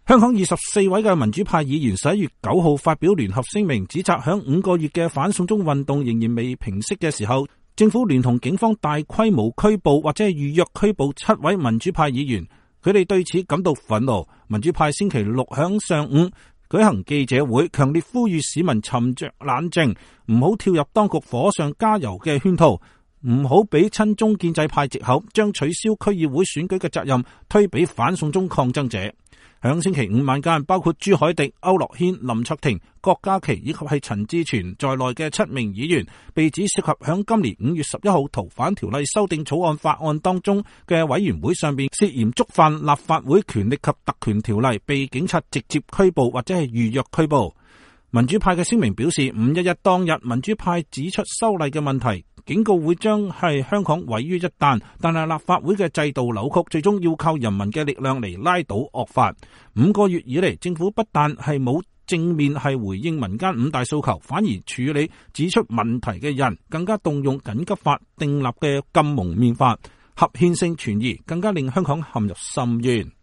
香港24位嘅民主派議員11月9號發表聯合聲明，指責響5個月嘅反送中運動仍然未平息嘅時候，政府聯同警方大規模拘捕或者係預約拘捕7位民主派議員，佢哋對此感到憤怒。民主派星期六響上午舉行記者會，強烈呼籲市民沉着冷靜，唔好跳入當局火上加油嘅圈套，唔好俾親中建制派藉口，將取消區議會選舉嘅責任推俾反送中抗爭者。響星期五晚間，包括朱凱廸、區諾軒、林卓廷、郭家麒以及係陳志全在內嘅7名議員，被指涉及響今年5月11號逃犯條例修訂草案法案當中嘅委員會上邊涉嫌觸犯立法會權力及特權條例，被警察直接拘捕或者係預約拘捕。民主派嘅聲明表示，511當日民主派指出修例嘅問題，警告會將係香港毀於一旦，但係立法會嘅制度扭曲，最終要靠人民嘅力量嚟拉倒惡法。5個月以嚟，政府不但係冇正面係回應民間5大訴求，反而處理指出問題嘅人，更加動用緊急法訂立嘅禁蒙面法，合憲性存疑，更加令香港陷入深淵。